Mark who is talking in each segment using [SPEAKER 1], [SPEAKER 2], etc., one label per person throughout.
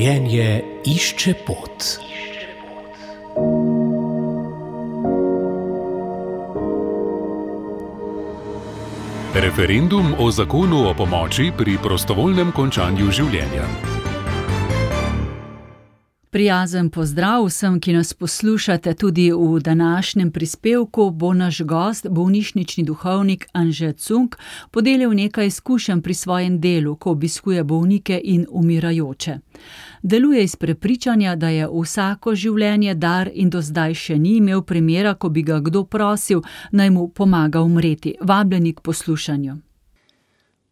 [SPEAKER 1] Življenje išče pot. Referendum o zakonu o pomoči pri prostovoljnem končanju življenja.
[SPEAKER 2] Prijazen pozdrav vsem, ki nas poslušate. Tudi v današnjem prispevku bo naš gost, bolnišnični duhovnik Anže Cunk, podelil nekaj izkušenj pri svojem delu, ko obiskuje bolnike in umirajoče. Deluje iz prepričanja, da je vsako življenje dar in do zdaj še ni imel primera, ko bi ga kdo prosil, naj mu pomaga umreti. Vabljeni k poslušanju.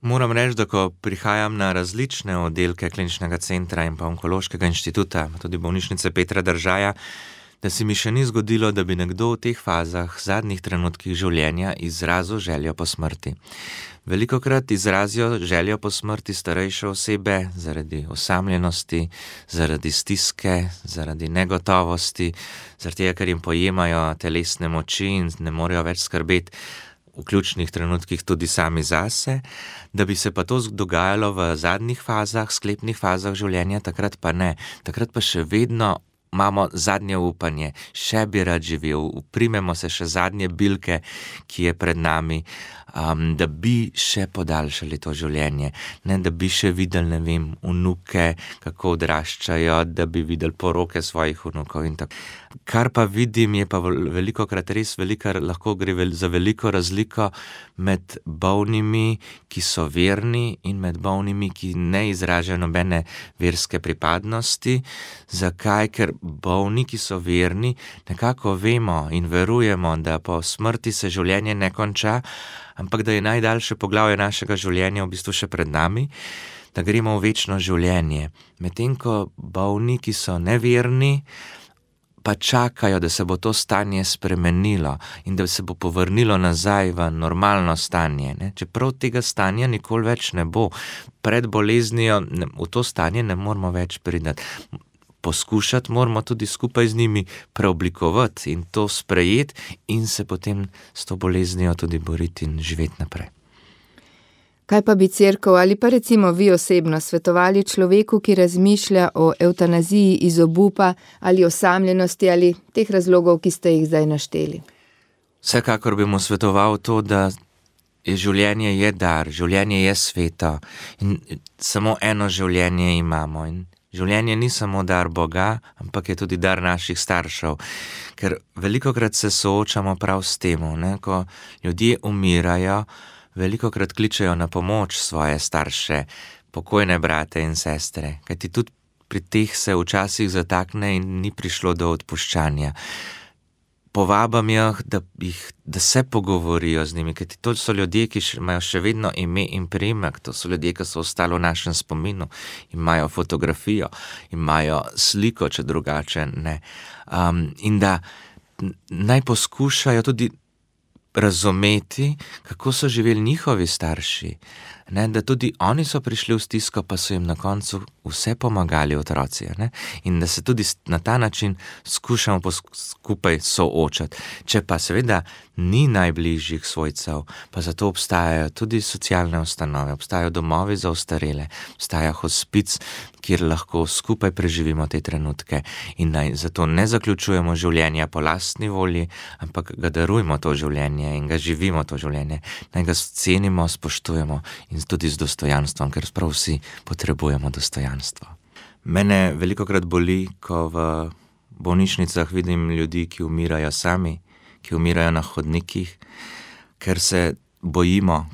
[SPEAKER 3] Moram reči, da ko prihajam na različne oddelke kliničnega centra in pa onkološkega inštituta, tudi bolnišnice Petra Držaja, da se mi še ni zgodilo, da bi nekdo v teh fazah, zadnjih trenutkih življenja izrazil željo po smrti. Velikokrat izrazijo željo po smrti starejše osebe zaradi osamljenosti, zaradi stiske, zaradi negotovosti, zaradi tega, ker jim pojemajo telesne moči in ne morejo več skrbeti v ključnih trenutkih tudi sami zase, da bi se pa to dogajalo v zadnjih fazah, sklepnih fazah življenja, takrat pa ne. Takrat pa še vedno imamo zadnje upanje, še bi rad živel, uprimemo se še zadnje bilke, ki je pred nami, da bi še podaljšali to življenje, ne da bi še videli, vnuke, kako odraščajo, da bi videli poroke svojih vnukov in tako. Kar pa vidim, je pa velikokrat res lahko gre za veliko razliko med bolnimi, ki so verni, in med bolnimi, ki ne izražajo nobene verske pripadnosti. Zakaj? Ker bolni, ki so verni, nekako vemo in verujemo, da po smrti se življenje ne konča, ampak da je najdaljše poglavje našega življenja v bistvu še pred nami, da gremo v večno življenje. Medtem ko bolni, ki so neverni, pa čakajo, da se bo to stanje spremenilo in da se bo povrnilo nazaj v normalno stanje. Čeprav tega stanja nikoli več ne bo. Pred boleznijo v to stanje ne moramo več priti. Poskušati moramo tudi skupaj z njimi preoblikovati in to sprejeti in se potem s to boleznijo tudi boriti in živeti naprej.
[SPEAKER 4] Kaj pa bi cerkev ali pa recimo vi osebno svetovali človeku, ki razmišlja o evtanaziji iz obupa ali osamljenosti ali teh razlogov, ki ste jih zdaj našteli?
[SPEAKER 3] Vsekakor bi mu svetoval to, da življenje je dar, življenje je sveto in samo eno življenje imamo in življenje ni samo dar Boga, ampak je tudi dar naših staršev, ker velikokrat se soočamo prav s tem, ko ljudje umirajo, velikokrat kličejo na pomoč svoje starše, pokojne brate in sestre, kajti tudi pri teh se včasih zatakne in ni prišlo do odpuščanja. Povabam jih, da se pogovorijo z njimi, kajti to so ljudje, ki imajo še vedno ime in priimek, to so ljudje, ki so ostali v našem spominu, imajo fotografijo, imajo sliko, če drugače ne. In da naj poskušajo tudi razumeti, kako so živeli njihovi starši, da tudi oni so prišli v stisko, pa so jim na koncu vse pomagali otroci, in da se tudi na ta način skušamo skupaj soočati. Če pa seveda ni najbližjih svojcev, pa zato obstajajo tudi socialne ustanove, obstajajo domovi za ostarele, obstaja hospic, kjer lahko skupaj preživimo te trenutke in naj zato ne zaključujemo življenja po lastni volji, ampak ga darujmo to življenje in ga živimo to življenje, naj ga cenimo, spoštujemo in tudi z dostojanstvom, ker prav vsi potrebujemo dostojanstvo. Mene velikokrat boli, ko v bolnišnicah vidim ljudi, ki umirajo sami, ki umirajo na hodnikih, ker se bojimo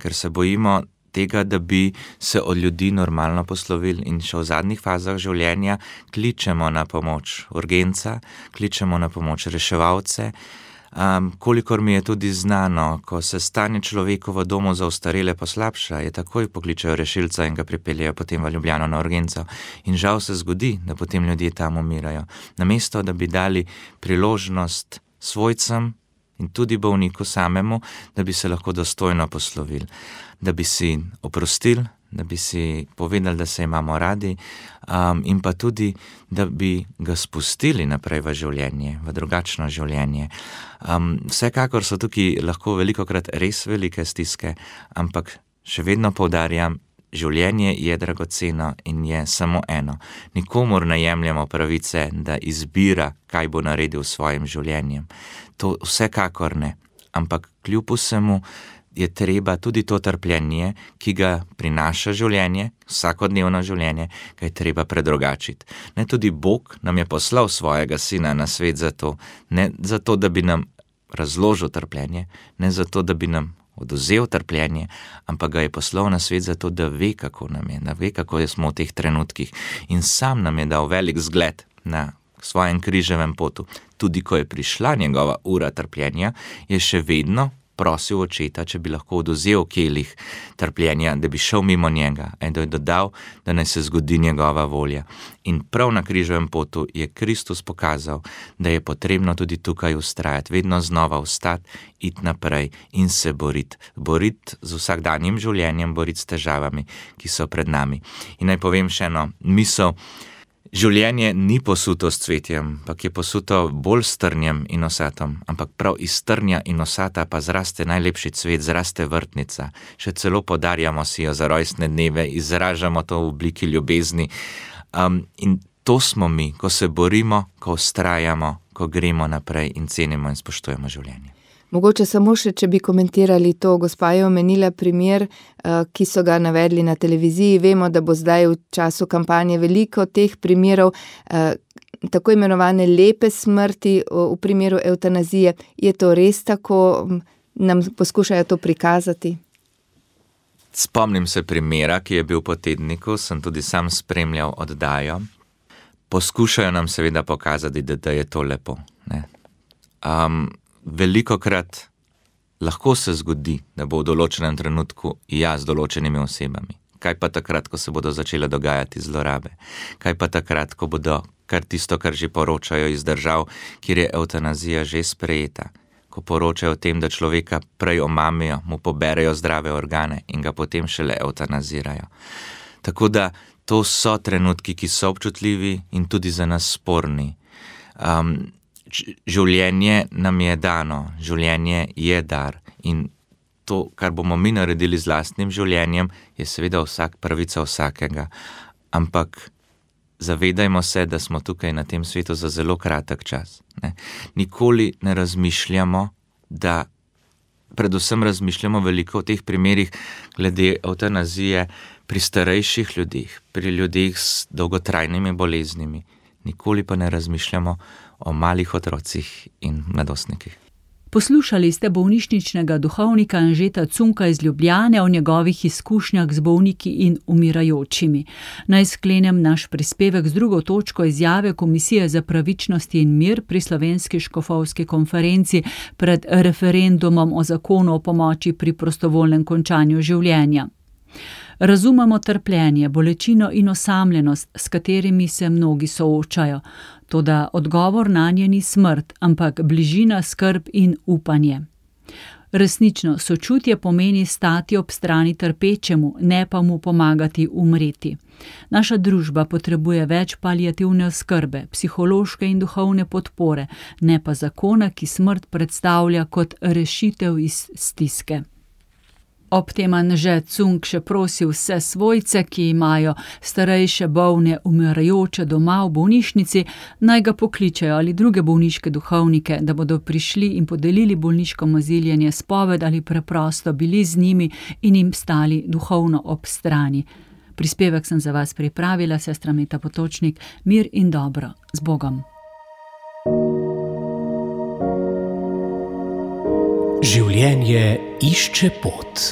[SPEAKER 3] tega, da bi se od ljudi normalno poslovili in še v zadnjih fazah življenja kličemo na pomoč urgenca, kličemo na pomoč reševalce. Kolikor mi je tudi znano, ko se stanje človeku v domu za ostarele poslabša, je takoj pokličejo rešilca in ga pripeljejo potem v Ljubljano na urgenco. In žal se zgodi, da potem ljudje tam umirajo. Namesto, da bi dali priložnost svojcem in tudi bolniku samemu, da bi se lahko dostojno poslovili, da bi si oprostili, da bi si povedali, da se imamo radi, in pa tudi, da bi ga spustili naprej v življenje, v drugačno življenje. Vsekakor so tukaj lahko velikokrat res velike stiske, ampak še vedno poudarjam, življenje je dragoceno in je samo eno. Nikomur ne jemljemo pravice, da izbira, kaj bo naredil s svojim življenjem. To vsekakor ne. Ampak kljub vsemu je treba tudi to trpljenje, ki ga prinaša življenje, vsakodnevno življenje, ga je treba predrugačiti. Ne, tudi Bog nam je poslal svojega sina na svet zato, ne zato, da bi nam razložil trpljenje, ne zato, da bi nam odvzel trpljenje, ampak ga je poslal na svet zato, da ve, kako nam je, da ve, kako smo v teh trenutkih. In sam nam je dal velik zgled na svojem križevem potu. Tudi ko je prišla njegova ura trpljenja, je še vedno prosil očeta, če bi lahko odvzel kelih trpljenja, da bi šel mimo njega in da je dodal, da naj se zgodi njegova volja. In prav na križevem potu je Kristus pokazal, da je potrebno tudi tukaj vztrajati, vedno znova vstati, iti naprej in se boriti. Boriti z vsakdanjim življenjem, boriti s težavami, ki so pred nami. In naj povem še eno misel. Življenje ni posuto s cvetjem, ampak je posuto bolj s trnjem in osatom, ampak prav iz trnja in osata pa zraste najlepši cvet, zraste vrtnica. Še celo podarjamo si jo za rojstne dneve, izražamo to v obliki ljubezni. In to smo mi, ko se borimo, ko vztrajamo, ko gremo naprej in cenimo in spoštujemo življenje.
[SPEAKER 4] Mogoče samo še, če bi komentirali to, gospa je omenila primer, ki so ga navedli na televiziji. Vemo, da bo zdaj v času kampanje veliko teh primerov, tako imenovane lepe smrti v primeru evtanazije. Je to res tako? Nam poskušajo to prikazati?
[SPEAKER 3] Spomnim se primera, ki je bil po tedniku, sem tudi sam spremljal oddajo. Poskušajo nam seveda pokazati, da je to lepo, ne. Velikokrat lahko se zgodi, da bo v določenem trenutku z določenimi osebami. Kaj pa takrat, ko se bodo začele dogajati zlorabe? Kaj pa takrat, ko bodo kar tisto, kar že poročajo iz držav, kjer je evtanazija že sprejeta? Ko poročajo o tem, da človeka prej omamijo, mu poberejo zdrave organe in ga potem šele evtanazirajo. Tako da to so trenutki, ki so občutljivi in tudi za nas sporni. Življenje nam je dano, življenje je dar in to, kar bomo mi naredili z lastnim življenjem, je seveda pravica vsakega. Ampak zavedajmo se, da smo tukaj na tem svetu za zelo kratek čas. Ne? Nikoli ne razmišljamo, predvsem razmišljamo veliko v teh primerih glede evtanazije pri starejših ljudeh, pri ljudeh s dolgotrajnimi boleznimi. Nikoli pa ne razmišljamo o malih otrocih in mladostnikih.
[SPEAKER 2] Poslušali ste bolnišničnega duhovnika Anžeta Cunka iz Ljubljane o njegovih izkušnjah z bolniki in umirajočimi. Naj sklenem naš prispevek z drugo točko izjave Komisije za pravičnost in mir pri Slovenski škofovski konferenci pred referendumom o zakonu o pomoči pri prostovoljnem končanju življenja. Razumemo trpljenje, bolečino in osamljenost, s katerimi se mnogi soočajo. Toda odgovor nanje ni smrt, ampak bližina, skrb in upanje. Resnično, sočutje pomeni stati ob strani trpečemu, ne pa mu pomagati umreti. Naša družba potrebuje več paliativne oskrbe, psihološke in duhovne podpore, ne pa zakona, ki smrt predstavlja kot rešitev iz stiske. Ob tem Anže Cunk še prosi vse svojce, ki imajo starejše, bolne, umirajoče doma v bolnišnici, naj ga pokličejo ali druge bolniške duhovnike, da bodo prišli in podelili bolniško maziljenje, spoved ali preprosto bili z njimi in jim stali duhovno ob strani. Prispevek sem za vas pripravila, sestra Meta Potočnik. Mir in dobro. Z Bogom.
[SPEAKER 5] Življenje išče pot.